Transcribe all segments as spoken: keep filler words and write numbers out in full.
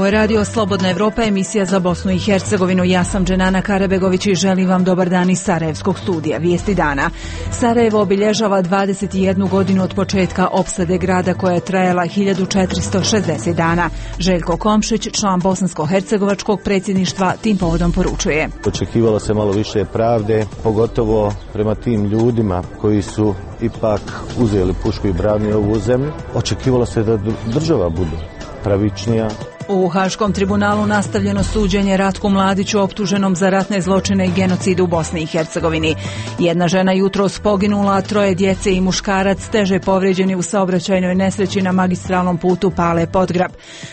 Ovo je radio Slobodna Evropa, emisija za Bosnu i Hercegovinu. Ja sam Dženana Karabegović i želim vam dobar dan iz Sarajevskog studija. Vijesti dana. Sarajevo obilježava dvadeset jednu godinu od početka opsade grada koja je trajala hiljadu četiristo šezdeset dana. Željko Komšić, član bosansko-hercegovačkog predsjedništva, tim povodom poručuje. Očekivalo se malo više pravde, pogotovo prema tim ljudima koji su ipak uzeli pušku i branili ovu zemlju. Očekivalo se da država bude pravičnija. U Haškom tribunalu nastavljeno suđenje Ratku Mladiću optuženom za ratne zločine i genocid u Bosni i Hercegovini. Jedna žena jutros poginula, a troje djece i muškarac teže povrijeđeni u saobraćajnoj nesreći na magistralnom putu Pale-Podgrab.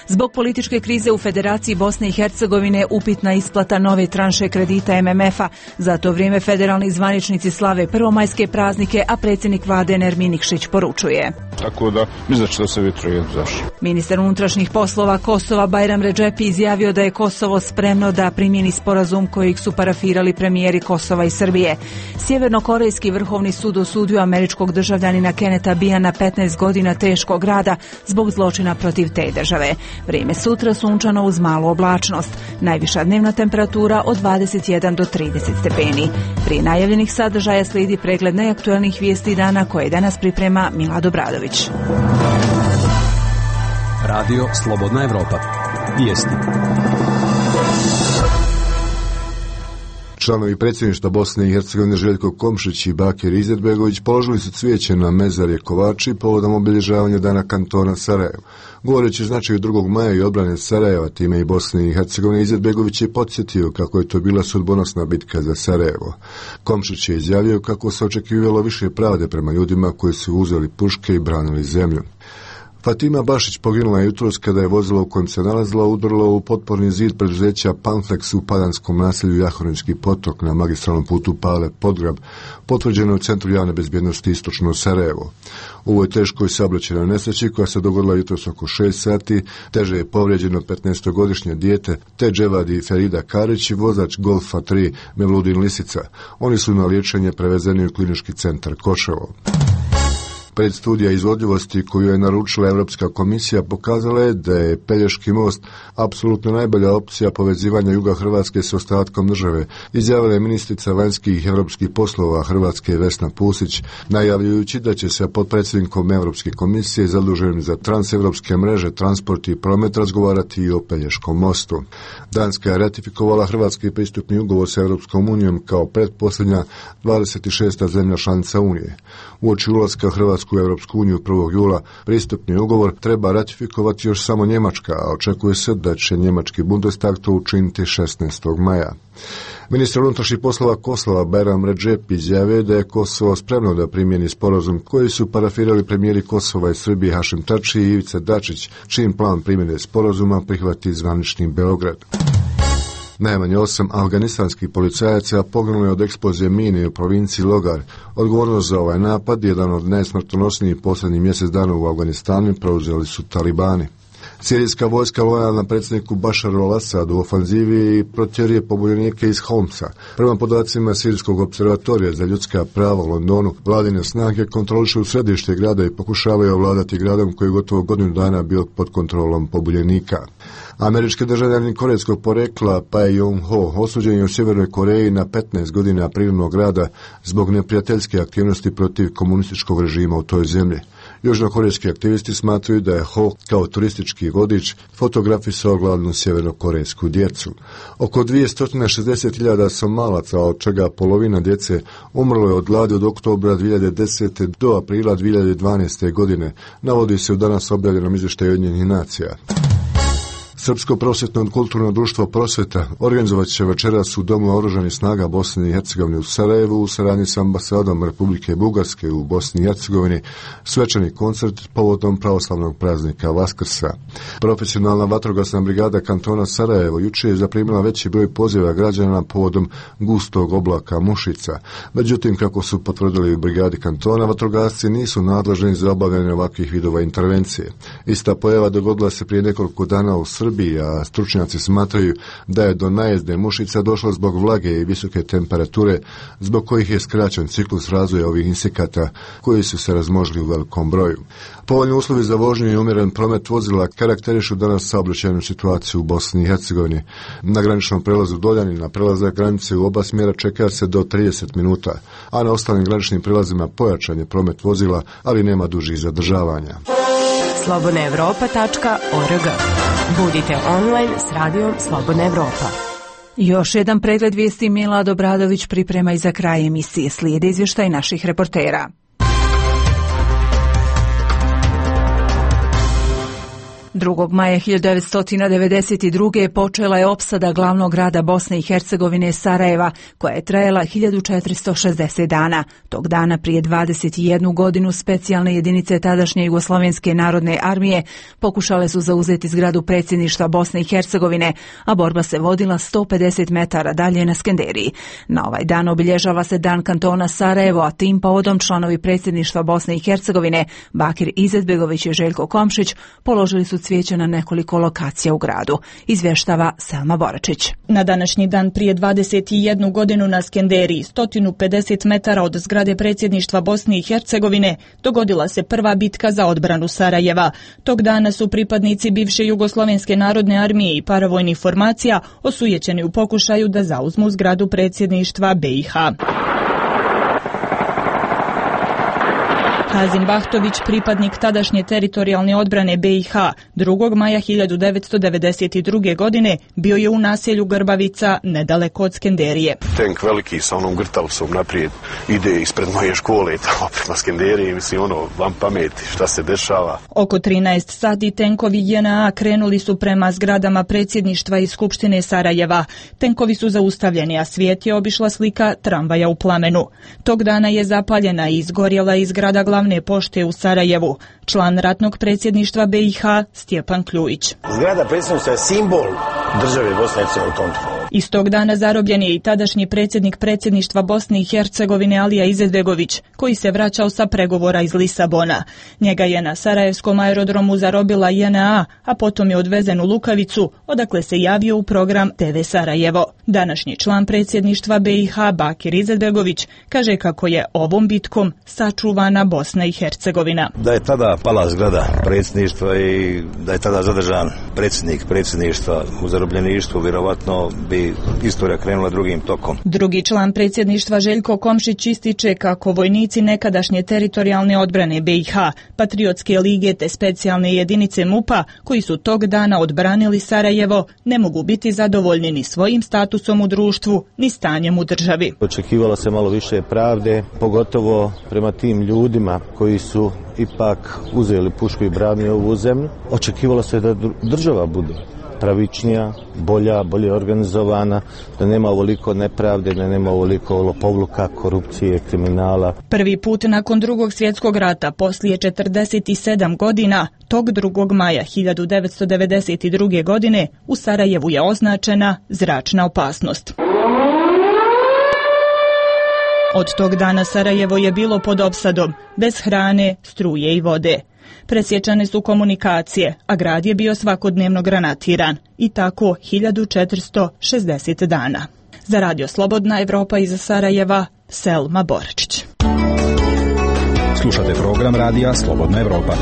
Zbog političke krize u Federaciji Bosne i Hercegovine upitna isplata nove tranše kredita M M F-a. Za to vrijeme federalni zvaničnici slave prvomajske praznike, a predsjednik vlade Nermin Nikšić poručuje. Tako da, mislim da će to se vitro zašto. Ministar unutrašnjih poslova Kosova Bajram Redžepi izjavio da je Kosovo spremno da primjeni sporazum kojeg su parafirali premijeri Kosova i Srbije. Sjevernokorejski vrhovni sud osudio američkog državljanina Keneta Bija na petnaest godina teškog rada zbog zločina protiv te države. Vrijeme sutra sunčano uz malu oblačnost. Najviša dnevna temperatura od dvadeset jedan do trideset stepeni. Prije najavljenih sadržaja slijedi pregled najaktuelnijih vijesti dana koje danas priprema Milad Obradović. Radio Slobodna Evropa. Vijesti. Članovi predsjedništva Bosne i Hercegovine Željko Komšić i Bakir Izetbegović položili su cvijeće na mezarje Kovači povodom obilježavanja dana kantona Sarajevo. Govoreći o značaju drugog maja i odbrane Sarajeva, time i Bosne i Hercegovine, Izetbegović je podsjetio kako je to bila sudbonosna bitka za Sarajevo. Komšić je izjavio kako se očekivalo više pravde prema ljudima koji su uzeli puške i branili zemlju. Fatima Bašić poginula je jutros kada je vozilo u kojem se nalazila udrlo u potporni zid preduzeća Panflex u padanskom naselju Jahornički potok na magistralnom putu Pale-Podgrab, potvrđeno u Centru javne bezbjednosti Istočno Sarajevo. U ovoj teškoj saobraćajnoj nesreći koja se dogodila jutros oko šest sati, teže je povrijeđeno petnaestogodišnje dijete te Dževadi Ferida Karić i vozač Golfa tri Mevludin Lisica. Oni su na liječenje prevezeni u klinički centar Koševo. Predstudija izvodljivosti koju je naručila Europska komisija pokazala je da je Pelješki most apsolutno najbolja opcija povezivanja juga Hrvatske s ostatkom države, izjavila je ministrica vanjskih europskih poslova Hrvatske Vesna Pusić, najavljujući da će se potpredsjednikom Europske komisije zaduženim za transevropske mreže, transport i promet razgovarati i o Pelješkom mostu. Danska je ratifikovala hrvatski pristupni ugovor sa Europskom unijom kao pretposljednja dvadeset šesta zemlja članica Unije. Uoči ulaska Hrvatske u Europsku uniju prvog jula pristupni ugovor treba ratifikovati još samo Njemačka, a očekuje se da će njemački Bundestag to učiniti šesnaestog maja. Ministar unutrašnjih poslova Kosova Bajram Redžepi izjavio da je Kosovo spremno da primjeni sporazum koji su parafirali premijeri Kosova i Srbije Hašim Tači i Ivica Dačić, čim plan primjene sporazuma prihvati zvanični Beograd. Najmanje osam afganistanskih policajaca poginulo je od eksplozije mine u provinciji Logar. Odgovornost za ovaj napad, jedan od najsmrtonosnijih posljednjih mjesec dana u Afganistanu, preuzeli su talibani. Sirijska vojska lojalna predsjedniku Bašaru al-Asadu u ofanzivi i protjeruje pobunjenike iz Homsa. Prema podacima Sirijskog observatorija za ljudska prava u Londonu, vladine snage kontrolišu središte grada i pokušavaju ovladati gradom koji je gotovo godinu dana bio pod kontrolom pobunjenika. Američki državljanin korejskog porekla Pae Jong-ho osuđen je u Sjevernoj Koreji na petnaest godina privremnog rada zbog neprijateljske aktivnosti protiv komunističkog režima u toj zemlji. Južnokorejski aktivisti smatraju da je Ho kao turistički vodič fotografisao gladnu sjevernokorejsku djecu. Oko dvjesto šezdeset hiljada Somalaca, od čega polovina djece, umrlo je od gladi od oktobra dvije hiljade desete do aprila dvije hiljade dvanaeste godine, navodi se u danas objavljenom izvještaju Ujedinjenih nacija. Srpsko prosvjetno kulturno društvo Prosvjeta organizovat će večeras u Domu oružanih snaga Bosne i Hercegovine u Sarajevu u saradnji s ambasadom Republike Bugarske u Bosni i Hercegovini svečani koncert povodom pravoslavnog praznika Vaskrsa. Profesionalna vatrogasna brigada kantona Sarajevo jučer je zaprimila veći broj poziva građana povodom gustog oblaka mušica. Međutim, kako su potvrdili u brigadi kantona, vatrogasci nisu nadležni za obavljanje ovakvih vidova intervencije. Ista pojava dogodila se prije nekoliko dana u Srbiji Srbiji, a stručnjaci smatraju da je do najezde mušica došlo zbog vlage i visoke temperature, zbog kojih je skraćen ciklus razvoja ovih insekata koji su se razmnožili u velikom broju. Povoljni uslovi za vožnju i umjeren promet vozila karakterišu danas saobraćajnu situaciju u Bosni i Hercegovini. Na graničnom prelazu Doljani na prelazak granice u oba smjera čeka se do trideset minuta, a na ostalim graničnim prelazima pojačan je promet vozila, ali nema dužih zadržavanja. slobodna evropa tačka org. Budite online s radijom Slobodna Evropa. Još jedan pregled vijesti Milad Obradović priprema i za kraj emisije. Slijede izvještaj naših reportera. drugog maja hiljadu devetsto devedeset druge počela je opsada glavnog grada Bosne i Hercegovine Sarajeva, koja je trajala hiljadu četiristo šezdeset dana. Tog dana prije dvadeset jednu godinu specijalne jedinice tadašnje Jugoslovenske narodne armije pokušale su zauzeti zgradu predsjedništva Bosne i Hercegovine, a borba se vodila sto pedeset metara dalje na Skenderiji. Na ovaj dan obilježava se dan kantona Sarajevo, a tim povodom članovi predsjedništva Bosne i Hercegovine Bakir Izetbegović i Željko Komšić položili su cvijeće na nekoliko lokacija u gradu. Izvještava Selma Boračić. Na današnji dan prije dvadeset jednu godinu na Skenderiji, sto pedeset metara od zgrade predsjedništva Bosne i Hercegovine, dogodila se prva bitka za odbranu Sarajeva. Tog dana su pripadnici bivše Jugoslovenske narodne armije i paravojnih formacija osujećeni u pokušaju da zauzmu zgradu predsjedništva B i H. Hazim Bahtović, pripadnik tadašnje teritorijalne odbrane B i H, drugog maja hiljadu devetsto devedeset druge godine bio je u naselju Grbavica, nedaleko od Skenderije. Tank veliki sa onom grtalcom naprijed ide ispred moje škole tamo prema Skenderiji, mislim ono, vam pameti šta se dešava. Oko trinaest sati tenkovi J N A krenuli su prema zgradama predsjedništva i Skupštine Sarajeva. Tenkovi su zaustavljeni, a svijet je obišla slika tramvaja u plamenu. Tog dana je zapaljena i izgorjela i zgrada glavne pošte u Sarajevu. Član ratnog predsjedništva B i H Stjepan Kljujić. Zgrada predsjedništva je simbol države Bosne i Hercegovine u tom trenutku. Istog dana zarobljen je i tadašnji predsjednik predsjedništva Bosne i Hercegovine Alija Izetbegović, koji se vraćao sa pregovora iz Lisabona. Njega je na sarajevskom aerodromu zarobila J N A, a potom je odvezen u Lukavicu, odakle se javio u program T V Sarajevo. Današnji član predsjedništva B i H Bakir Izetbegović kaže kako je ovom bitkom sačuvana Bosna i Hercegovina. Da je tada pala zgrada predsjedništva i da je tada zadržan predsjednik predsjedništva u zarobljeništvu, vjerovatno bi istorija krenula drugim tokom. Drugi član predsjedništva Željko Komšić ističe kako vojnici nekadašnje teritorijalne odbrane B i H, Patriotske lige te specijalne jedinice M U P-a, koji su tog dana odbranili Sarajevo, ne mogu biti zadovoljni ni svojim statusom u društvu, ni stanjem u državi. Očekivalo se malo više pravde, pogotovo prema tim ljudima koji su ipak uzeli pušku i branili ovu zemlju. Očekivalo se da država bude pravičnija, bolja, bolje organizovana, da nema ovoliko nepravde, da nema ovoliko lopovluka, korupcije, kriminala. Prvi put nakon drugog svjetskog rata, poslije četrdeset sedam godina, tog drugog maja hiljadu devetsto devedeset druge godine, u Sarajevu je označena zračna opasnost. Od tog dana Sarajevo je bilo pod opsadom, bez hrane, struje i vode. Presječane su komunikacije, a grad je bio svakodnevno granatiran. I tako hiljadu četiristo šezdeset dana. Za Radio Slobodna Evropa iz Sarajeva, Selma Boračić. Slušate program Radija Slobodna Evropa.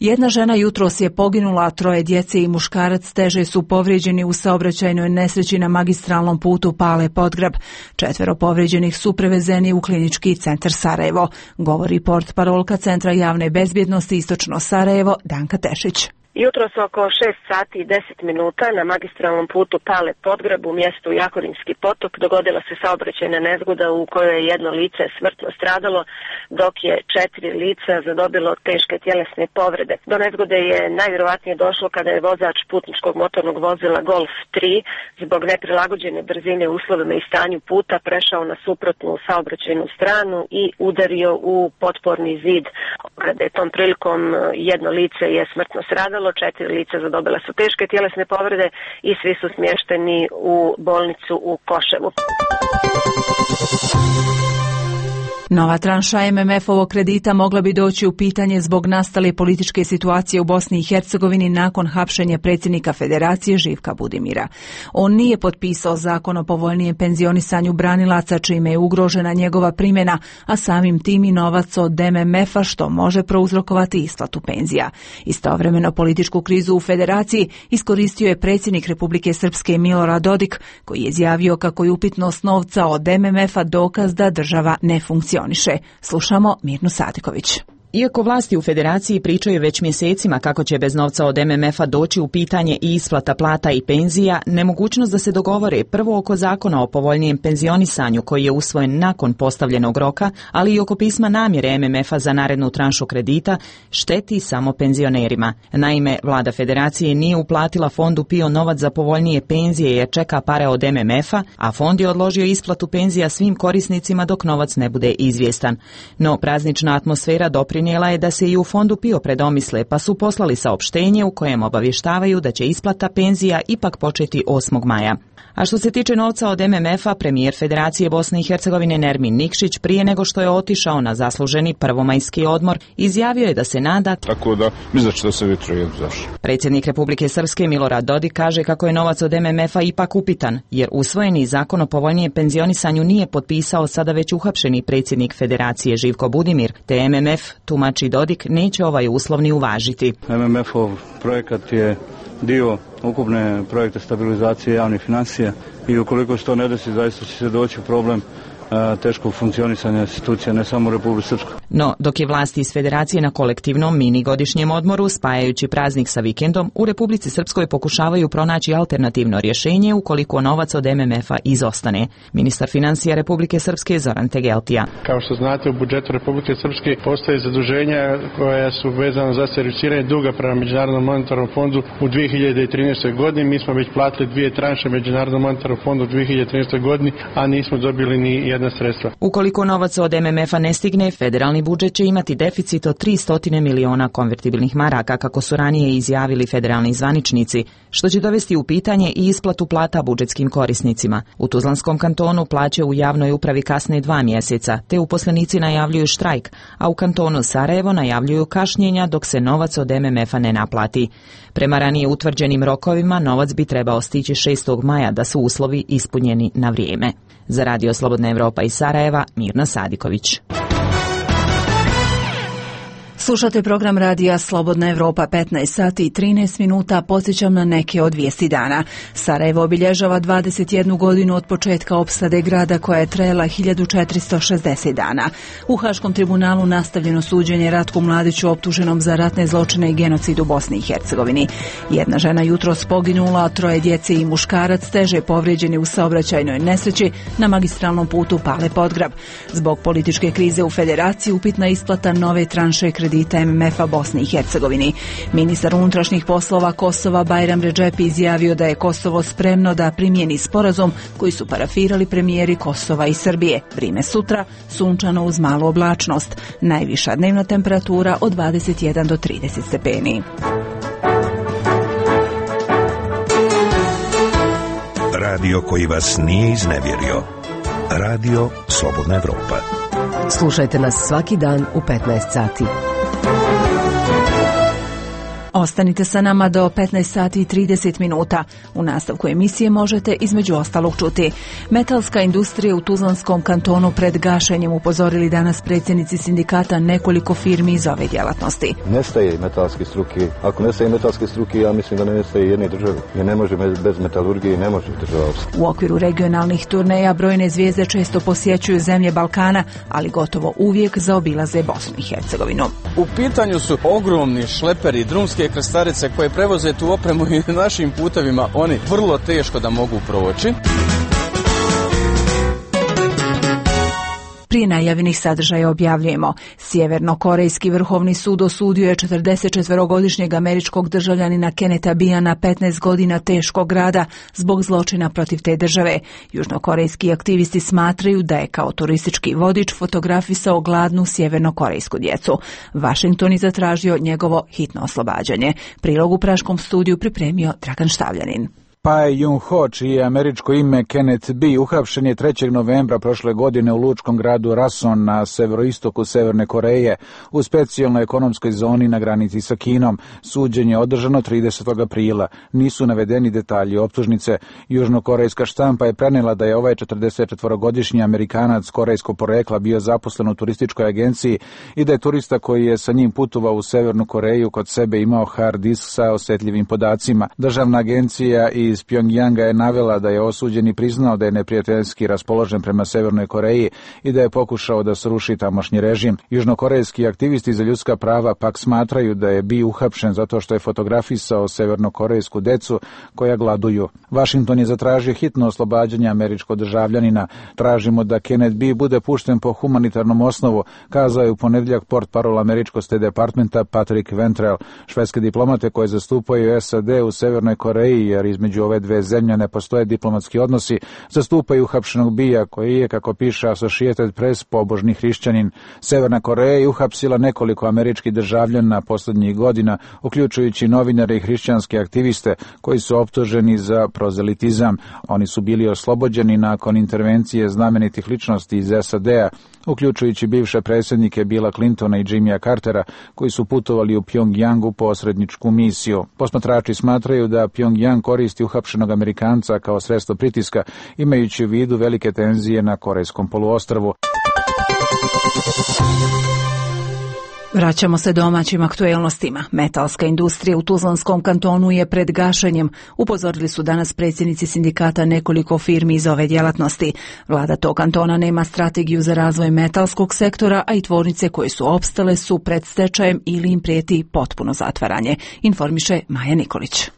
Jedna žena jutros je poginula, a troje djece i muškarac teže su povrijeđeni u saobraćajnoj nesreći na magistralnom putu Pale Podgrab. Četvero povrijeđenih su prevezeni u klinički centar Sarajevo, govori portparolka Centra javne bezbjednosti Istočno Sarajevo Danka Tešić. Jutros oko šest sati i deset minuta na magistralnom putu Pale Podgrab u mjestu Jahorinski potok dogodila se saobraćajna nezgoda u kojoj je jedno lice smrtno stradalo, dok je četiri lica zadobilo teške tjelesne povrede. Do nezgode je najvjerojatnije došlo kada je vozač putničkog motornog vozila Golf tri zbog neprilagođene brzine uslovima i stanju puta prešao na suprotnu saobraćajnu stranu i udario u potporni zid ograde. Tom prilikom jedno lice je smrtno stradalo, četiri lica zadobila su teške tjelesne povrede i svi su smješteni u bolnicu u Koševu. Nova tranša em em ef-ovog kredita mogla bi doći u pitanje zbog nastale političke situacije u Bosni i Hercegovini nakon hapšenja predsjednika Federacije Živka Budimira. On nije potpisao zakon o povoljnijem penzionisanju branilaca čime je ugrožena njegova primjena, a samim tim i novac od em em ef-a što može prouzrokovati isplatu penzija. Istovremeno političku krizu u Federaciji iskoristio je predsjednik Republike Srpske Milorad Dodik, koji je izjavio kako je upitnost novca od em em ef-a dokaz da država ne funkcioniše. Slušamo Mirnu Sadiković. Iako vlasti u Federaciji pričaju već mjesecima kako će bez novca od em em ef-a doći u pitanje i isplata plata i penzija, nemogućnost da se dogovore prvo oko zakona o povoljnijem penzionisanju koji je usvojen nakon postavljenog roka, ali i oko pisma namjere em em ef-a za narednu tranšu kredita, šteti samo penzionerima. Naime, vlada Federacije nije uplatila fondu PIO novac za povoljnije penzije jer čeka pare od em em ef-a, a fond je odložio isplatu penzija svim korisnicima dok novac ne bude izvjestan. No, praznična atmosfera doprinijela je da se i u fondu PIO predomisle, pa su poslali saopštenje u kojem obavještavaju da će isplata penzija ipak početi osmog maja. A što se tiče novca od em em ef-a, premijer Federacije Bosne i Hercegovine Nermin Nikšić prije nego što je otišao na zasluženi prvomajski odmor, izjavio je da se nada tako da mislim da će to se vjetruje zašto. Predsjednik Republike Srpske Milorad Dodik kaže kako je novac od em em ef-a ipak upitan, jer usvojeni zakon o povoljnijem penzionisanju nije potpisao sada već uhapšeni predsjednik Federacije Živko Budimir, te em em ef, tumači Dodik, neće ovaj uslov ni uvažiti. em em ef-ov projekat je dio ukupne projekte stabilizacije javnih financija i ukoliko se to ne desi, zaista će se doći u problem teškog funkcionisanja institucija, ne samo u Republici Srpskoj. No, dok je vlasti iz Federacije na kolektivnom mini godišnjem odmoru, spajajući praznik sa vikendom, u Republici Srpskoj pokušavaju pronaći alternativno rješenje ukoliko novac od em em ef-a izostane. Ministar financija Republike Srpske Zoran Tegeltija. Kao što znate, u budžetu Republike Srpske postoje zaduženja koja su vezana za servisiranje duga prema Međunarodnom monetarnom fondu u dvije hiljade trinaestoj godini. Mi smo već platili dvije tranše Međunarodnom monetarnom fondu u dvije hiljade trinaestoj godini, a nismo dobili ni jedna sredstva. Ukoliko novac od em em ef-a ne stigne, federalni budžet će imati deficit od tristo miliona konvertibilnih maraka, kako su ranije izjavili federalni zvaničnici, što će dovesti u pitanje i isplatu plata budžetskim korisnicima. U Tuzlanskom kantonu plaće u javnoj upravi kasne dva mjeseca, te uposlenici najavljuju štrajk, a u kantonu Sarajevo najavljuju kašnjenja dok se novac od em em ef-a ne naplati. Prema ranije utvrđenim rokovima, novac bi trebao stići šestog maja da su uslovi ispunjeni na vrijeme. Za Radio Slobodna Evropa iz Sarajeva, Mirna Sadiković. Slušate program radija Slobodna Evropa, petnaest sati i trinaest minuta. Podsjećam na neke od vijesti dana. Sarajevo obilježava dvadeset jednu godinu od početka opsade grada koja je trajala hiljadu četiristo šezdeset dana. U Haškom tribunalu nastavljeno suđenje Ratku Mladiću optuženom za ratne zločine i genocid u Bosni i Hercegovini. Jedna žena jutros poginula, a troje djece i muškarac teže povrijeđeni u saobraćajnoj nesreći na magistralnom putu Pale Podgrab. Zbog političke krize u Federaciji upitna isplata nove tranše kredita em em ef-a Bosni i Hercegovini. Ministar unutrašnjih poslova Kosova Bajram Redžepi izjavio da je Kosovo spremno da primjeni sporazum koji su parafirali premijeri Kosova i Srbije. Vrime sutra, sunčano uz malu oblačnost. Najviša dnevna temperatura od dvadeset jedan do trideset stepeni. Radio koji vas nije iznevjerio. Radio Slobodna Evropa. Slušajte nas svaki dan u petnaest sati. Ostanite sa nama do petnaest sati i trideset minuta. U nastavku emisije možete između ostalog čuti: metalska industrija u Tuzlanskom kantonu pred gašenjem, upozorili danas predsjednici sindikata nekoliko firmi iz ove djelatnosti. Nestaje metalske struke. Ako nestaje metalske struke, ja mislim da ne nestaje jedne države. Jer ne može bez metalurgije, ne može država opstati. U okviru regionalnih turneja brojne zvijezde često posjećuju zemlje Balkana, ali gotovo uvijek zaobilaze Bosnu i Hercegovinu. U pitanju su ogromni šleperi, drumske krstarice koje prevoze tu opremu i našim putevima oni vrlo teško da mogu proći. Prije najavljenih sadržaja objavljujemo: Sjevernokorejski vrhovni sud osudio je četrdesetčetverogodišnjeg američkog državljanina Kenneta Bia na petnaest godina teškog rada zbog zločina protiv te države. Južnokorejski aktivisti smatraju da je kao turistički vodič fotografisao gladnu sjevernokorejsku djecu. Washington je zatražio njegovo hitno oslobađanje. Prilog u praškom studiju pripremio Dragan Štavljanin. Pae Jung-ho, čije je američko ime Kenneth B, uhapšen je trećeg novembra prošle godine u lučkom gradu Rason na severoistoku Severne Koreje u specijalnoj ekonomskoj zoni na granici sa Kinom. Suđenje je održano tridesetog aprila. Nisu navedeni detalji optužnice. Južnokorejska štampa je prenijela da je ovaj četrdesetčetvorogodišnji Amerikanac korejskog porekla bio zaposlen u turističkoj agenciji i da je turista koji je sa njim putovao u Severnu Koreju kod sebe imao hard disk sa osjetljivim podacima. Državna agencija iz Pjongjanga je navela da je osuđeni priznao da je neprijateljski raspoložen prema Severnoj Koreji i da je pokušao da sruši tamošnji režim. Južnokorejski aktivisti za ljudska prava pak smatraju da je bio uhapšen zato što je fotografisao severnokorejsku decu koja gladuju. Washington je zatražio hitno oslobađanje američkog državljanina. Tražimo da Kenneth B bude pušten po humanitarnom osnovu, kazao je u ponedjeljak portparol američkog State Departmenta Patrick Ventrell. Švedske diplomate koje zastupaju S A D u Severnoj Koreji, jer između ove dve zemlje ne postoje diplomatski odnosi, zastupaju uhapšenog Bija koji je, kako piše Associated Press, pobožni hrišćanin. Severna Koreja je uhapsila nekoliko američkih državljana posljednjih godina, uključujući novinare i hrišćanske aktiviste koji su optuženi za prozelitizam. Oni su bili oslobođeni nakon intervencije znamenitih ličnosti iz S A D-a, uključujući bivše predsjednike Billa Clintona i Jimmya Cartera, koji su putovali u Pjongjang u posredničku misiju. Posmatrači smatraju da Pjongjang koristi uhapšenog Amerikanca kao sredstvo pritiska, imajući u vidu velike tenzije na Korejskom poluostrvu. Vraćamo se domaćim aktuelnostima. Metalska industrija u Tuzlanskom kantonu je pred gašenjem. Upozorili su danas predsjednici sindikata nekoliko firmi iz ove djelatnosti. Vlada tog kantona nema strategiju za razvoj metalskog sektora, a i tvornice koje su opstale su pred stečajem ili im prijeti potpuno zatvaranje, informiše Maja Nikolić.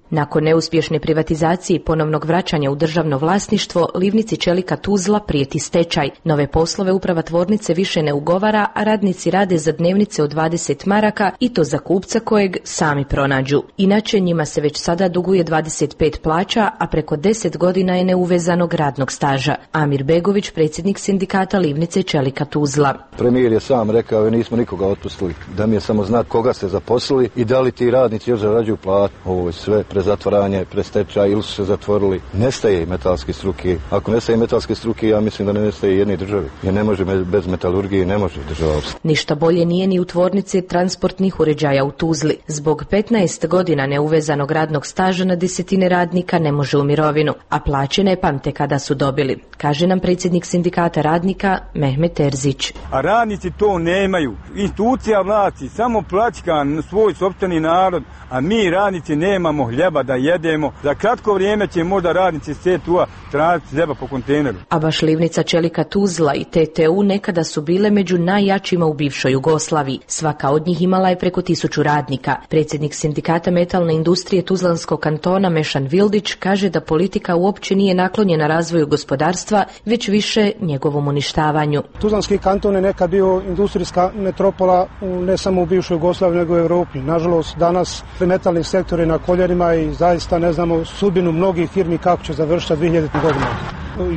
Nakon neuspješne privatizacije i ponovnog vraćanja u državno vlasništvo, Livnici čelika Tuzla prijeti stečaj. Nove poslove uprava tvornice više ne ugovara, a radnici rade za dnevnice od dvadeset maraka i to za kupca kojeg sami pronađu. Inače, njima se već sada duguje dvadeset pet plaća, a preko deset godina je neuvezanog radnog staža. Amir Begović, predsjednik sindikata Livnice čelika Tuzla. Premijer je sam rekao, nismo nikoga otpustili, da mi je samo znati koga ste zaposlili i da li ti radnici još zarađuju platu. Ovo je sve prezatvaranje, prestečaj ili su se zatvorili. Nestaje metalske struke. Ako nestaje metalske struke, ja mislim da ne nestaje jedne države. Jer ne može bez metalurgije, ne može država opstati. Ništa bolje nije ni u tvornici transportnih uređaja u Tuzli. Zbog petnaest godina neuvezanog radnog staža na desetine radnika ne može u mirovinu, a plaće ne pamte kada su dobili, kaže nam predsjednik sindikata radnika Mehmet Terzić. A radnici to nemaju. Institucija vlasti samo pljačka svoj sopstveni narod, a mi radnici nemamo hljeba da jedemo. Za kratko vrijeme će možda radnici C T U-a tražiti hljeba po kontejneru. A baš Livnica čelika Tuzla i T T U nekada su bile među najjačima u bivšoj Jugoslaviji. Svaka od njih imala je preko tisuću radnika. Predsjednik sindikata metalne industrije Tuzlanskog kantona Mešan Vildić kaže da politika uopće nije naklonjena razvoju gospodarstva, već više njegovom uništavanju. Tuzlanski kanton je nekad bio industrijska metropola ne samo u bivšoj Jugoslaviji nego u Europi. Nažalost, danas metalni sektor je na koljenima i zaista ne znamo sudbinu mnogih firmi kako će završiti dvije hiljadite godine.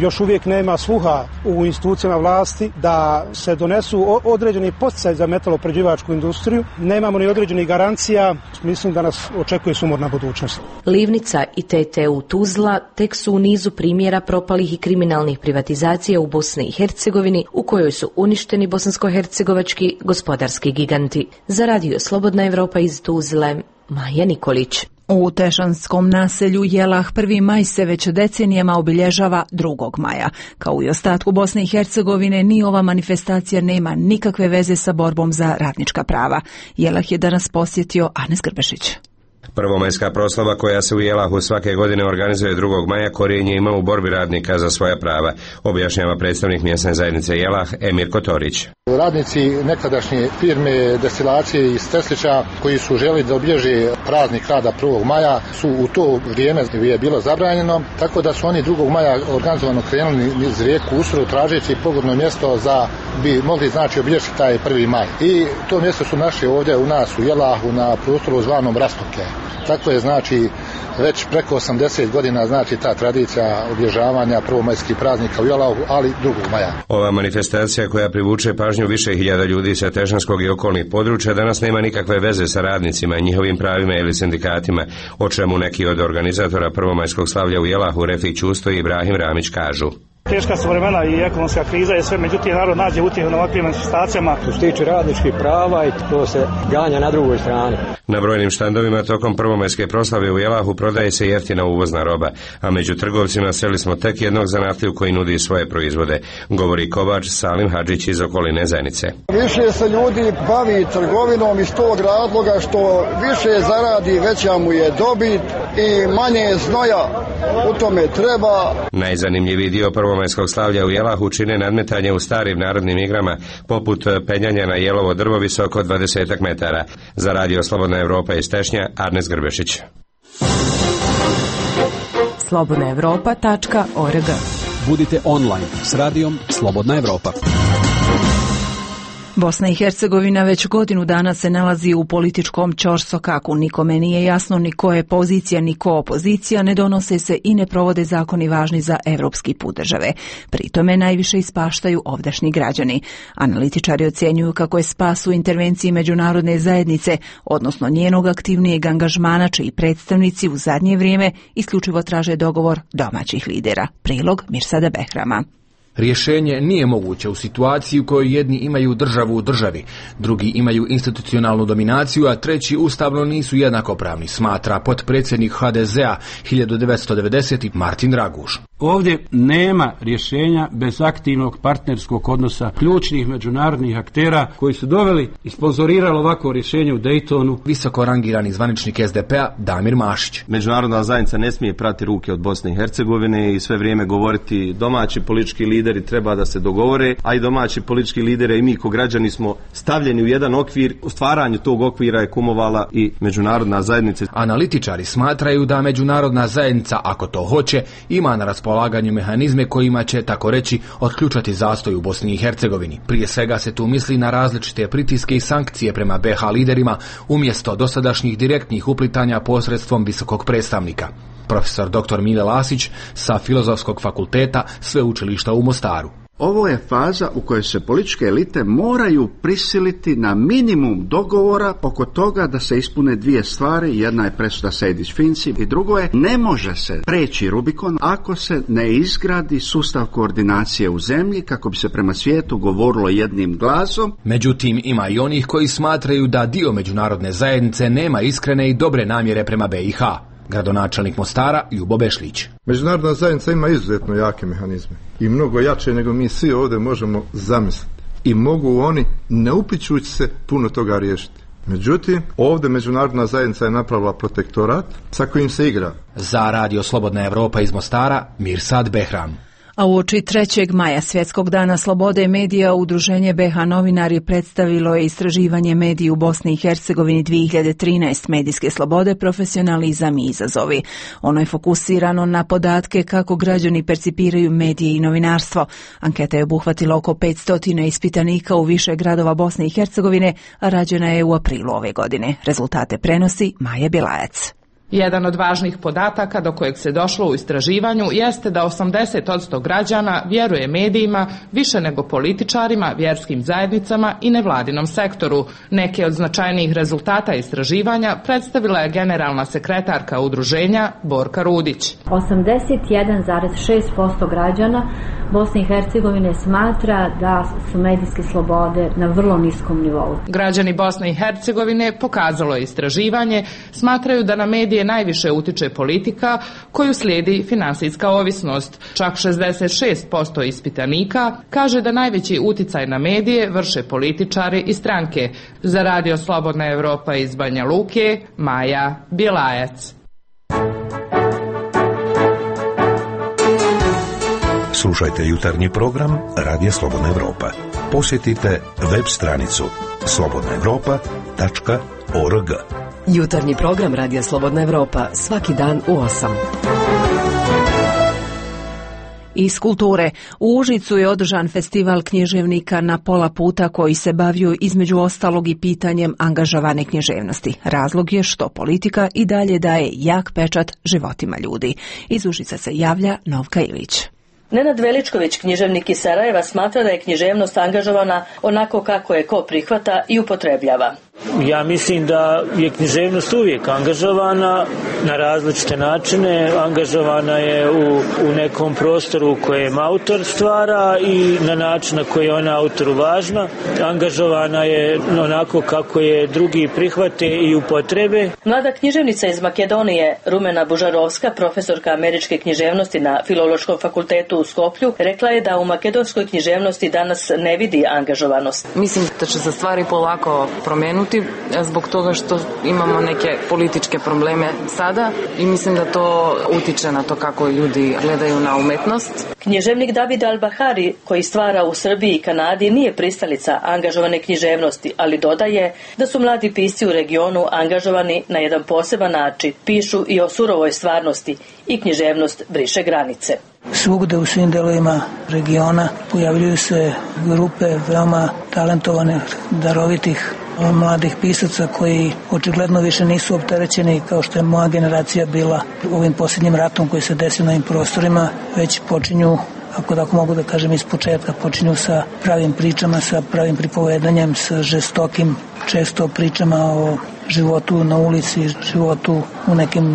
Još uvijek nema sluha u institucijama vlasti da se donesu određeni podsticaj za metaloprerađivačku industriju. Nemamo ni određenih garancija. Mislim da nas očekuje sumorna budućnost. Livnica i T T U Tuzla tek su u nizu primjera propalih i kriminalnih privatizacija u Bosni i Hercegovini, u kojoj su uništeni bosansko-hercegovački gospodarski giganti. Za radio Slobodna Evropa iz Tuzle, Maja Nikolić. U Tešanskom naselju Jelah prvi maj se već decenijama obilježava drugog maja. Kao i ostatku Bosne i Hercegovine, ni ova manifestacija nema nikakve veze sa borbom za radnička prava. Jelah je danas posjetio Anes Grbešić. Prvomajska proslava koja se u Jelahu svake godine organizuje drugog maja korijenje ima u borbi radnika za svoja prava, objašnjava predstavnik mjesne zajednice Jelah Emir Kotorić. Radnici nekadašnje firme destilacije iz Teslića koji su želi da obilježe praznik rada prvog maja su u to vrijeme je bilo zabranjeno, tako da su oni drugog maja organizovano krenuli niz rijeku Usru tražeći pogodno mjesto za bi mogli znači obilježiti taj prvi maj. I to mjesto su našli ovdje u nas u Jelahu na prostoru zvanom Rastoke. Tako je znači već preko osamdeset godina znači ta tradicija obilježavanja prvomajskih praznika u Jelahu, ali drugog maja. Ova manifestacija koja privuče pažnju više hiljada ljudi sa Tešanskog i okolnih područja danas nema nikakve veze sa radnicima, njihovim pravima ili sindikatima, o čemu neki od organizatora prvomajskog slavlja u Jelahu, Refik Ćusto i Ibrahim Ramić kažu. Teška su vremena i ekonomska kriza je sve, međutim narod nađe utjehu na ovakvim manifestacijama. Što se tiče radničkih prava i to se ganja na drugoj strani. Na brojnim štandovima tokom prvomajske proslave u Jelahu prodaje se jeftina uvozna roba, a među trgovcima sreli smo tek jednog zanatliju koji nudi svoje proizvode, govori kovač Salim Hadžić iz okoline Zenice. Više se ljudi bavi trgovinom iz tog razloga što više zaradi, veća mu je dobit i manje znoja u tome treba. Najzanimljiviji dio prvomajskog slavlja u Jelahu čine nadmetanje u starim narodnim igrama, poput penjanja na jelovo drvo visoko dvadeset metara. Za radio Slobodna Evropa iz Tešnja, Arnes Grbešić. slobodna evropa tačka org. Budite online s radijom Slobodna Evropa. Bosna i Hercegovina već godinu dana se nalazi u političkom ćorsokaku. Nikome nije jasno ni ko je pozicija, ni ko opozicija, ne donose se i ne provode zakoni važni za evropski put države. Pri tome najviše ispaštaju ovdašnji građani. Analitičari ocjenjuju kako je spas u intervenciji međunarodne zajednice, odnosno njenog aktivnijeg angažmana, čiji predstavnici u zadnje vrijeme isključivo traže dogovor domaćih lidera. Prilog Mirsada Behrama. Rješenje nije moguće u situaciji u kojoj jedni imaju državu u državi, drugi imaju institucionalnu dominaciju, a treći ustavno nisu jednakopravni, smatra potpredsjednik ha de zea hiljadu devetsto devedesete. Martin Raguš. Ovdje nema rješenja bez aktivnog partnerskog odnosa ključnih međunarodnih aktera koji su doveli i sponzorirali ovako rješenje u Daytonu. Visoko rangirani zvaničnik es de pe-a Damir Mašić. Međunarodna zajednica ne smije prati ruke od Bosne i Hercegovine i sve vrijeme govoriti domaći politički lideri treba da se dogovore, a i domaći politički lideri i mi ko građani smo stavljeni u jedan okvir. U stvaranju tog okvira je kumovala i međunarodna zajednica. Analitičari smatraju da međunarodna zajednica, ako to hoće, ima na raspolaganju mehanizme kojima će, tako reći, otključati zastoj u Bosni i Hercegovini. Prije svega se tu misli na različite pritiske i sankcije prema be ha liderima umjesto dosadašnjih direktnih uplitanja posredstvom visokog predstavnika. Profesor doktor Mile Lasić sa Filozofskog fakulteta Sveučilišta u Mostaru. Ovo je faza u kojoj se političke elite moraju prisiliti na minimum dogovora oko toga da se ispune dvije stvari. Jedna je presuda Sejdić-Finci i drugo je ne može se preći Rubikon ako se ne izgradi sustav koordinacije u zemlji kako bi se prema svijetu govorilo jednim glasom. Međutim, ima i onih koji smatraju da dio međunarodne zajednice nema iskrene i dobre namjere prema be i ha. Gradonačelnik Mostara Ljubo Bešlić. Međunarodna zajednica ima izuzetno jake mehanizme i mnogo jače nego mi svi ovdje možemo zamisliti. I mogu oni, ne uplićući se, puno toga riješiti. Međutim, ovdje međunarodna zajednica je napravila protektorat sa kojim se igra. Za radio Slobodna Evropa iz Mostara, Mirsad Behram. A uoči trećeg maja, Svjetskog dana slobode medija, Udruženje be ha novinari predstavilo je istraživanje mediji u Bosni i Hercegovini dvije hiljade trinaeste. Medijske slobode, profesionalizam i izazovi. Ono je fokusirano na podatke kako građani percipiraju medije i novinarstvo. Anketa je obuhvatila oko petsto ispitanika u više gradova Bosne i Hercegovine, a rađena je u aprilu ove godine. Rezultate prenosi Maja Bilajac. Jedan od važnih podataka do kojeg se došlo u istraživanju jeste da osamdeset posto građana vjeruje medijima više nego političarima, vjerskim zajednicama i nevladinom sektoru. Neke od značajnijih rezultata istraživanja predstavila je generalna sekretarka udruženja Borka Rudić. osamdeset jedan zarez šest posto građana Bosne i Hercegovine smatra da su medijske slobode na vrlo niskom nivou. Građani Bosne i Hercegovine, pokazalo je istraživanje, smatraju da na medije najviše utiče politika koju slijedi finansijska ovisnost. Čak šezdeset šest posto ispitanika kaže da najveći uticaj na medije vrše političari i stranke. Za radio Slobodna Evropa iz Banja Luke, Maja Bjelajac. Slušajte jutarnji program Radija Slobodna Evropa. Posjetite web stranicu slobodna evropa tačka org. Jutarnji program Radija Slobodna Evropa svaki dan u osam. Iz kulture. U Užicu je održan festival književnika na pola puta koji se bavio između ostalog i pitanjem angažovane književnosti. Razlog je što politika i dalje daje jak pečat životima ljudi. Iz Užica se javlja Novka Ilić. Nenad Veličković, književnik iz Sarajeva, smatra da je književnost angažovana onako kako je ko prihvata i upotrebljava. Ja mislim da je književnost uvijek angažovana na različite načine. Angažovana je u, u nekom prostoru u kojem autor stvara i na način na koji je ona autoru važna. Angažovana je onako kako je drugi prihvate i upotrebe. Mlada književnica iz Makedonije, Rumena Bužarovska, profesorka američke književnosti na Filološkom fakultetu u Skoplju, rekla je da u makedonskoj književnosti danas ne vidi angažovanost. Mislim da će se stvari polako promijenuti zbog toga što imamo neke političke probleme sada i mislim da to utiče na to kako ljudi gledaju na umetnost. Književnik David Al-Bahari, koji stvara u Srbiji i Kanadi, nije pristalica angažovane književnosti, ali dodaje da su mladi pisci u regionu angažovani na jedan poseban način. Pišu i o surovoj stvarnosti i književnost briše granice. Svugde u svim delovima regiona pojavljuju se grupe veoma talentovane, darovitih mladih pisaca koji očigledno više nisu opterećeni kao što je moja generacija bila ovim posljednjim ratom koji se desio na ovim prostorima, već počinju, ako tako mogu da kažem, iz početka, počinju sa pravim pričama, sa pravim pripovedanjem, sa žestokim često pričama o životu na ulici, životu u nekim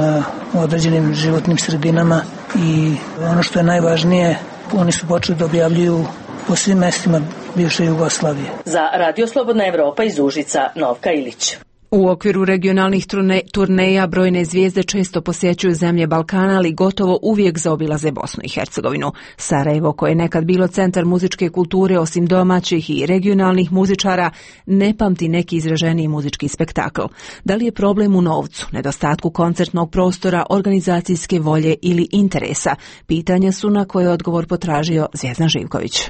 određenim životnim sredinama i ono što je najvažnije, oni su počeli da objavljuju po svim mestima bivše Jugoslavije. Za Radio Slobodna Evropa iz Užica, Novka Ilić. U okviru regionalnih turne, turneja brojne zvijezde često posjećuju zemlje Balkana, ali gotovo uvijek zaobilaze Bosnu i Hercegovinu. Sarajevo, koje je nekad bilo centar muzičke kulture, osim domaćih i regionalnih muzičara, ne pamti neki izraženiji muzički spektakl. Da li je problem u novcu, nedostatku koncertnog prostora, organizacijske volje ili interesa? Pitanja su na koje odgovor potražio Zvjezdan Živković.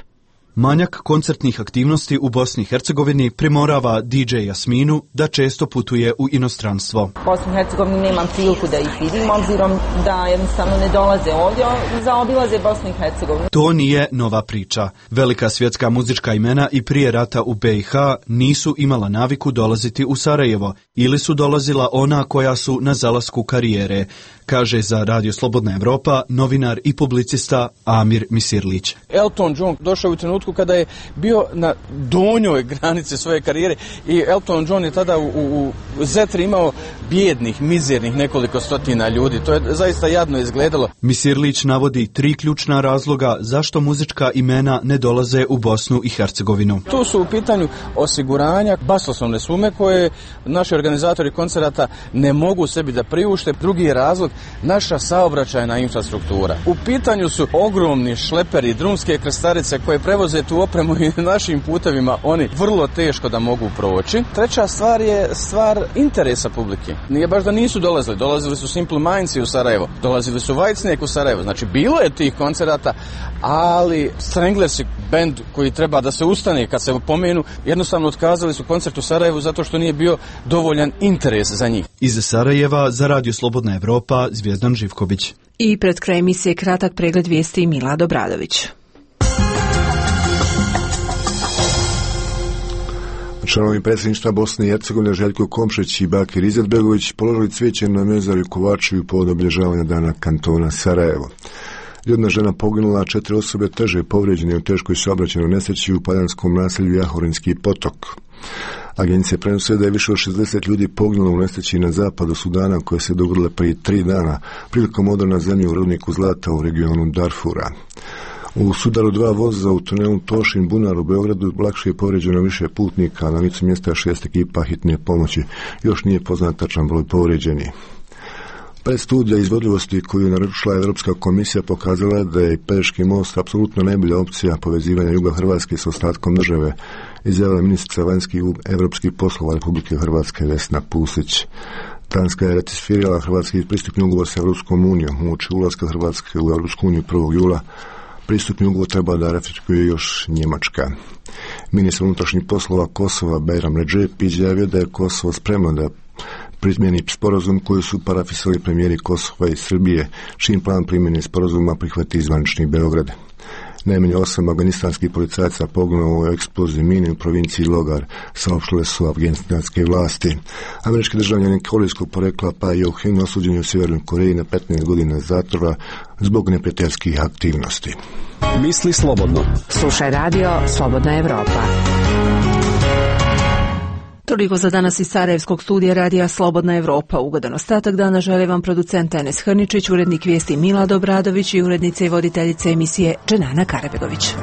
Manjak koncertnih aktivnosti u Bosni i Hercegovini primorava D J Jasminu da često putuje u inostranstvo. U Bosni i Hercegovini nemam priliku da ih vidim, obzirom da jednostavno ne dolaze ovdje, zaobilaze Bosnu i Hercegovinu. To nije nova priča. Velika svjetska muzička imena i prije rata u B i H nisu imala naviku dolaziti u Sarajevo ili su dolazila ona koja su na zalasku karijere, kaže za Radio Slobodna Evropa novinar i publicista Amir Misirlić. Elton John došao u trenutku kada je bio na donjoj granici svoje karijere i Elton John je tada u, u, u Zetri imao bijednih, mizernih nekoliko stotina ljudi. To je zaista jadno izgledalo. Misirlić navodi tri ključna razloga zašto muzička imena ne dolaze u Bosnu i Hercegovinu. Tu su u pitanju osiguranja, basoslovne sume koje naši organizatori koncerata ne mogu sebi da priušte. Drugi je razlog naša saobraćajna infrastruktura. U pitanju su ogromni šleperi, drumske krstarice koje prevoze tu opremu i našim putevima oni vrlo teško da mogu proći. Treća stvar je stvar interesa publike. Nije baš da nisu dolazili, dolazili su Simple Mindsi u Sarajevo, dolazili su Whitesnake u Sarajevo, znači bilo je tih koncerata, ali Stranglersi, bend koji treba da se ustane kad se pomenu, jednostavno otkazali su koncert u Sarajevu zato što nije bio dovoljan interes za njih. Iz Sarajeva za Radio Slobodna Evropa, Zvjezdan Živković. I pred kraj emisije kratak pregled vijesti Milad Obradović. Članovi predsjedništva Bosne i Hercegovine Željko Komšić i Bakir Izetbegović položili cvijeće na mezarju Kovačevu povodom obilježavanja dana kantona Sarajevo. Jedna žena poginula, a četiri osobe teže povrijeđene u teškoj saobraćajnoj nesreći u padanskom naselju Jahorinski potok. Agencija prenose da je više od šezdeset ljudi poginulo u nesreći na zapadu Sudana koje se dogodile prije tri dana prilikom udara na zemlju u rudniku zlata u regionu Darfura. U sudaru dva voza u tunelu Tošin Bunar u Beogradu lakše je povrijeđeno više putnika, a na licu mjesta šest ekipa hitne pomoći. Još nije poznat tačan broj povrijeđenih. Predstudija izvodljivosti koju je naručila Europska komisija pokazala da je Pelješki most apsolutno najbolja opcija povezivanja juga Hrvatske s ostatkom države, izjavila ministrica vanjskih europskih poslova Republike Hrvatske Vesna Pusić. Danska je ratificirala hrvatski pristupni ugovor s Europskom unijom uoči ulaska Hrvatske u Europsku uniju prvog jula. Pristupni ugovor treba da ratifikuje još Njemačka. Ministar unutrašnjih poslova Kosova Bajram Redžep izjavio da je Kosovo spremno da primjeni sporazum koji su parafisali premijeri Kosova i Srbije, čim plan primjene sporazuma prihvati zvanični Beograd. Najmanje osam afganistanskih policajaca poginulo u eksploziji mine u provinciji Logar, saopštile su afganistanske vlasti. Američki državljanin korejskog porekla Pa Yo-hin osuđen u Sjevernoj Koreji na petnaest godina zatvora zbog neprijateljskih aktivnosti. Misli slobodno. Slušaj radio Slobodna Evropa. Toliko za danas iz Sarajevskog studija radija Slobodna Evropa. Ugodan ostatak dana želi vam producent Enes Hrničić, urednik vijesti Milad Obradović i urednica i voditeljica emisije Dženana Karabegović.